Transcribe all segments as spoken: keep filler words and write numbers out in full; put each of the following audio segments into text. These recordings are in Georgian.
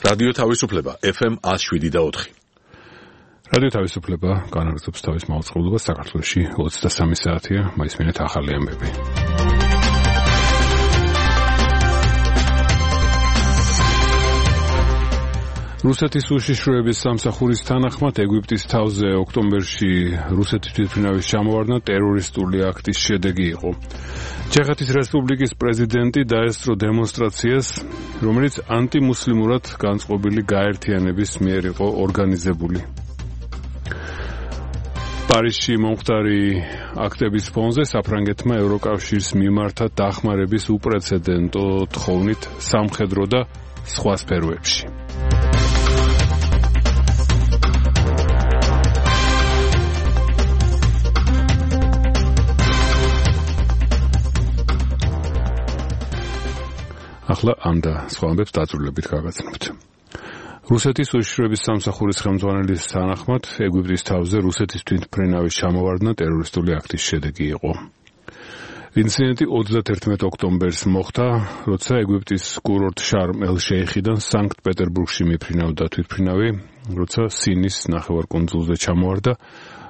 რადიო თავისუფლება ეფ ემ one oh seven point four. რადიო თავისუფლება განაგრძობს თავის მაუწყებლობას საქართველოში ოცდასამი საათია, მაისმინეთ ახალი ამბები. რუსეთის უშიშროების სამსახურის თანახმად ეგვიპტის თავზე ოქტომბერში რუსეთის თვითმფრინავის ჩამოვარდნა ტერორისტული აქტის შედეგი იყო. ჩეხეთის რესპუბლიკის პრეზიდენტი დაესწრო დემონსტრაციას, რომელიც ანტიმუსლიმურად განწყობილი გაერთიანების მიერ იყო ორგანიზებული. პარიზში მომხდარი აქტების ფონზე საფრანგეთმა ევროკავშირს მიმართა დახმარების უპრეცედენტო თხოვნით სამხედრო და სხვა სფეროებში. ახლა ამ და სხვა ამბებს დაწვრილებით გავაგრძელებთ. რუსეთის უშიშროების სამსახურის ხელმძღვანელის თანახმად ეგვიპტის თავზე რუსეთის თვითმფრინავის ჩამოვარდნა ტერორისტული აქტის შედეგი იყო. ინციდენტი ოცდაათერთმეტ ოქტომბერს მოხდა, როცა ეგვიპტის კურორტ შარმ-ელ-შეიხიდან სანქტ-პეტერბურგში მიფრინავდა თვითმფრინავი, როცა სინის ნახევარკუნძულზე ჩამოვარდა.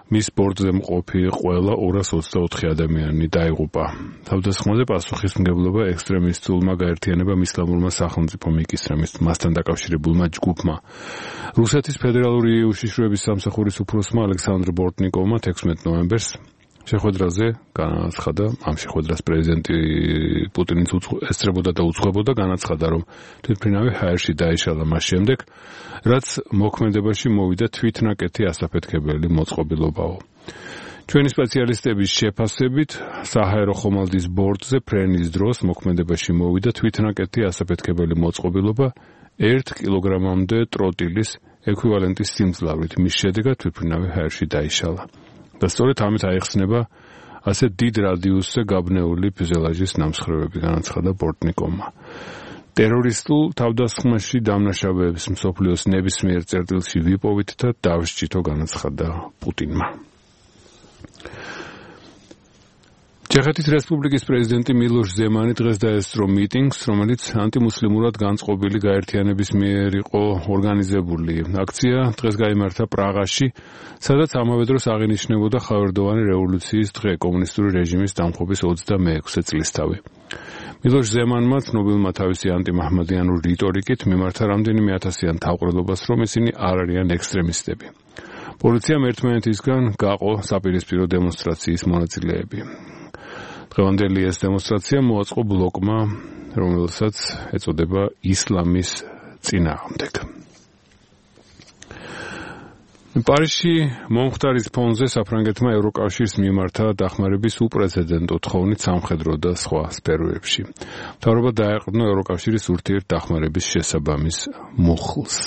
მის ბორტზე მყოფი ყველა ორას ოცდაოთხი ადამიანი დაიღუპა. თავდასხმაზე პასუხისმგებლობა ექსტრემისტულმა გაერთიანებამ ისლამურმა სახელმწიფომ იკისრა მასთან დაკავშირებულმა ჯგუფმა. რუსეთის ფედერალური უშიშროების სამსახურის უფროსმა ალექსანდრ ბორტნიკოვმა თექვსმეტ ნოემბერს შეხვედრაზე განაცხადა, ამ შეხვედრას პრეზიდენტი პუტინიც ესწრებოდა და უძღვებოდა, განაცხადა, რომ თვითმფრინავი ჰაერში დაიშალა მას შემდეგ, რაც მოქმედებაში მოვიდა თვითნაკეთი ასაფეთქებელი მოწყობილობაო. ჩვენი სპეციალისტების შეფასებით, საჰაერო ხომალდის ბორტზე ფრენის დროს მოქმედებაში მოვიდა თვითნაკეთი ასაფეთქებელი მოწყობილობა ერთ კილოგრამამდე ტროტილის ექვივალენტის სიმძლავრით, მის შედეგად თვითმფრინავი ჰაერში დაიშალა. და სწორედ ამით აიხსნება ასე დიდ რადიუსზე გაბნეული ფյուზელაჟის ნამსხვრევები, განაცხადა ბორტნიკოვმა. ტერორისტულ თავდასხმაში დამნაშავეებს მსოფლიოს ნებისმიერ წერტილში ვიპოვით და დავსჭითო, განაცხადა პუტინმა. ჩეხეთის რესპუბლიკის პრეზიდენტი მილოშ ზემანი დღეს დაესწრო მიტინგს, რომელიც ანტიმუსლიმურად განწყობილი გაერთიანების მიერ იყო ორგანიზებული. აქცია დღეს გაიმართა პრაღაში, სადაც ამავე დროს აღინიშნებოდა ხავერდოვანი რევოლუციის დღე, კომუნისტური რეჟიმის დამხობის ოცდამეექვსე წლისთავი. მილოშ ზემანმა ცნობილმა თავისი ანტიმაჰმადიანური რიტორიკით მიმართა რამდენიმე ათასიან თავყრილობას, რომ ისინი არ არიან ექსტრემისტები. პოლიციამ ერთმანეთისგან გაყო საპირისპირო დემონსტრაციის მონაწილეები. დღევანდელი ეს დემონსტრაცია მოაწყო ბლოკმა, რომელსაც ეწოდება ისლამის წინააღმდეგ. პარიზში მომხდარის ფონზე საფრანგეთმა ევროკავშირს მიმართა დახმარების უპრეცედენტო თხოვნით სამხედრო და სხვა სფეროებში. მთავრობა დაეყრდნო ევროკავშირის ურთიერთდახმარების შესაბამის მუხლს.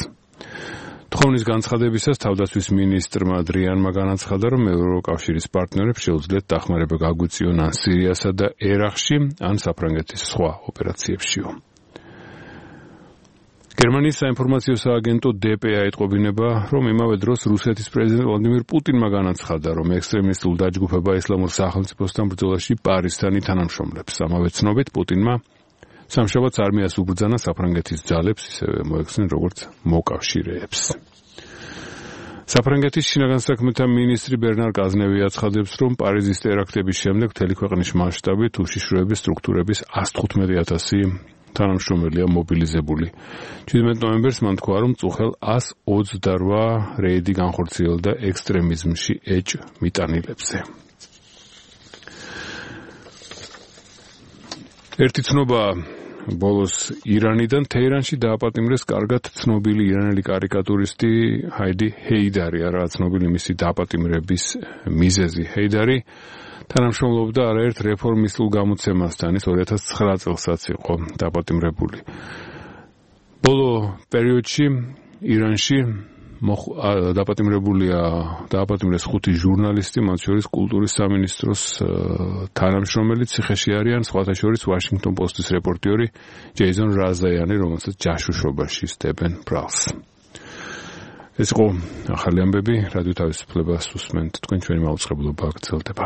თხოვნის განცხადებისას თავდაცვის მინისტრმა დრიანმა განაცხადა, რომ ევროკავშირის პარტნიორებს შეუძლიათ დახმარება გაგვიწიონ ან სირიასა და ერაყში, ან საფრანგეთის სხვა ოპერაციებშიო. გერმანიის საინფორმაციო სააგენტო დე პე აეტყობინება, რომ იმავე დროს რუსეთის პრეზიდენტ ვლადიმირ პუტინმა განაცხადა, რომ ექსტრემისტულ დაჯგუფება ისლამურ სახელმწიფოსთან ბრძოლაში პარიზთან ითანამშრომლებს. ამავე ცნობით პუტინმა სამშაბათს არმიას უბრძანა საფრანგეთის ძალებს, ისევე მოეხსნა როგორც მოკავშირეებს. საფრანგეთის შინაგან საქმეთა მინისტრი ბერნარ კაზნევი აცხადებს, რომ პარიზის ტერაქტების შემდეგ მთელი ქვეყნის მასშტაბით უშიშროების სტრუქტურების ას თხუთმეტი ათასი თანამშრომელია მობილიზებული. შვიდმეტ ნოემბერს მან თქვა, რომ წუხელ ას ოცდარვა რეიდი განხორციელდა ექსტრემიზმში ეჭ მიტანილებზე. ერთი ცნობა ბოლოს ირანიდან თეირანში დააპატიმრეს კარგად ცნობილი ირანელი კარიკატურისტი ჰაიდი ჰეიდარი, არა ცნობილი მისი დააპატიმრების მიზეზი. ჰეიდარი თანამშრომლობდა არაერთ რეფორმისტულ გამოცემასთან, ის ორი ათას ცხრა წელსაც იყო დააპატიმრებული. ბოლო პერიოდში ირანში დააპატიმრებულია დააპატიმრეს ხუთი ჟურნალისტი, მათ შორის კულტურის სამინისტროს თანამშრომელი, ციხეში არიან სხვათა შორის ვაშინგტონ პოსტის რეპორტიორი ჯეიზონ რაზაიანი, რომელსაც ჯაშუშობაში სდებენ ბრალს. ეს იყო ახალი ამბები, რადიო თავისუფლებას უსმენთ, თქვენ ჩვენი მაუწყებლობა გრძელდება.